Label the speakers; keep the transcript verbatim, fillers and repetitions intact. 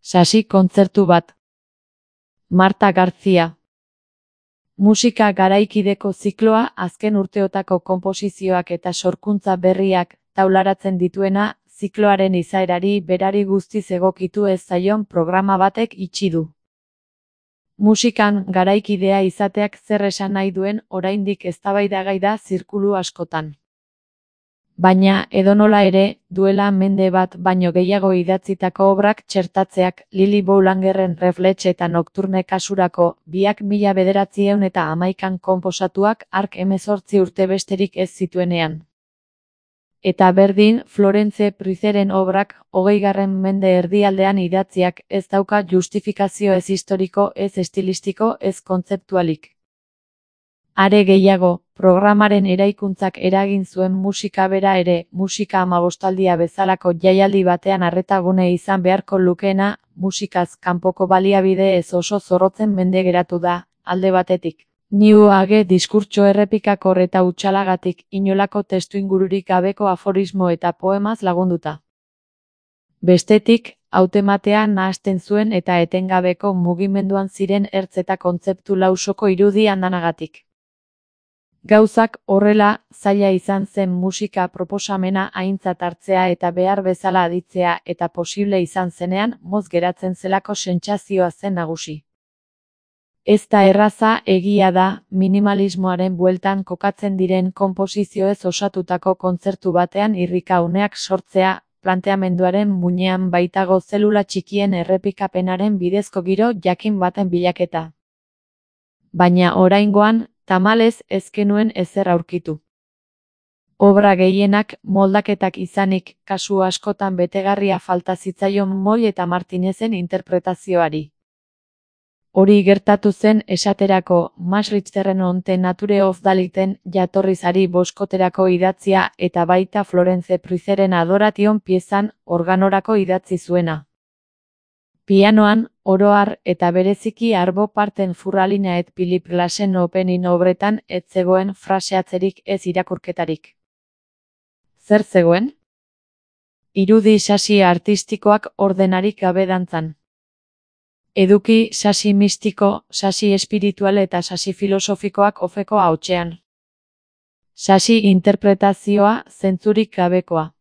Speaker 1: Sasi kontzertu bat. Marta García. Musika garaikideko zikloa azken urteotako konposizioak eta sorkuntza berriak taularatzen dituena, zikloaren izaerari berari guztiz egokitu ez zaion programa batek itxi du. Musikan garaikidea izateak zer esan nahi duen oraindik eztabaidagai da zirkulu askotan. Baina, edonola ere, duela mende bat baino gehiago idatzitako obrak txertatzeak Lili Boulangerren Reflex eta Nocturne kasurako biak mila bederatziehun eta hamaikan konposatuak hark hemezortzi urte besterik ez zituenean. Eta berdin, Florence Pruizeren obrak hogeigarren mende erdialdean idatziak ez dauka justifikazio ez historiko, ez estilistiko, ez kontzeptualik. Are gehiago, programaren eraikuntzak eragin zuen musika bera ere, musika hamabostaldia bezalako jaialdi batean arretagune izan beharko lukeena, musikaz kanpoko baliabide ez oso zorrotzen mende geratu da, alde batetik. New Age diskurtso errepikakor eta hutsalagatik inolako testuingururik gabeko aforismo eta poemaz lagunduta. Bestetik, hautematea nahasten zuen eta etengabeko mugimenduan ziren ertz eta kontzeptu lausoko irudi andanagatik. Gauzak horrela, zaila izan zen musika proposamena aintzat hartzea eta behar bezala aditzea eta posible izan zenean moz geratzen zelako sentsazioa zen nagusi. Ez da erraza egia da, minimalismoaren bueltan kokatzen diren konposizioez osatutako kontzertu batean irrika uneak sortzea, planteamenduaren muinean baitago zelula txikien errepikapenaren bidezko giro jakin baten bilaketa. Baina oraingoan, tamalez ez genuen ezer aurkitu. Obra gehienak moldaketak izanik, kasu askotan betegarria falta zitzaion Moll eta Martinezen interpretazioari. Hori gertatu zen esaterako Maastrichterren onte Nature of Daliten jatorrizari boskoterako idatzia eta baita Florence Pruizeren Adoration piezan organorako idatzi zuena. Pianoan, oro har eta bereziki arbo parten Furralina et Philip Glassen opening obretan ez zegoen fraseatzerik ez irakurketarik. Zer zegoen? Irudi sasi artistikoak ordenarik gabe dantzan. Eduki sasi mistiko, sasi espiritual eta sasi filosofikoak ofeko ahotsean. Sasi interpretazioa zentzurik gabekoa.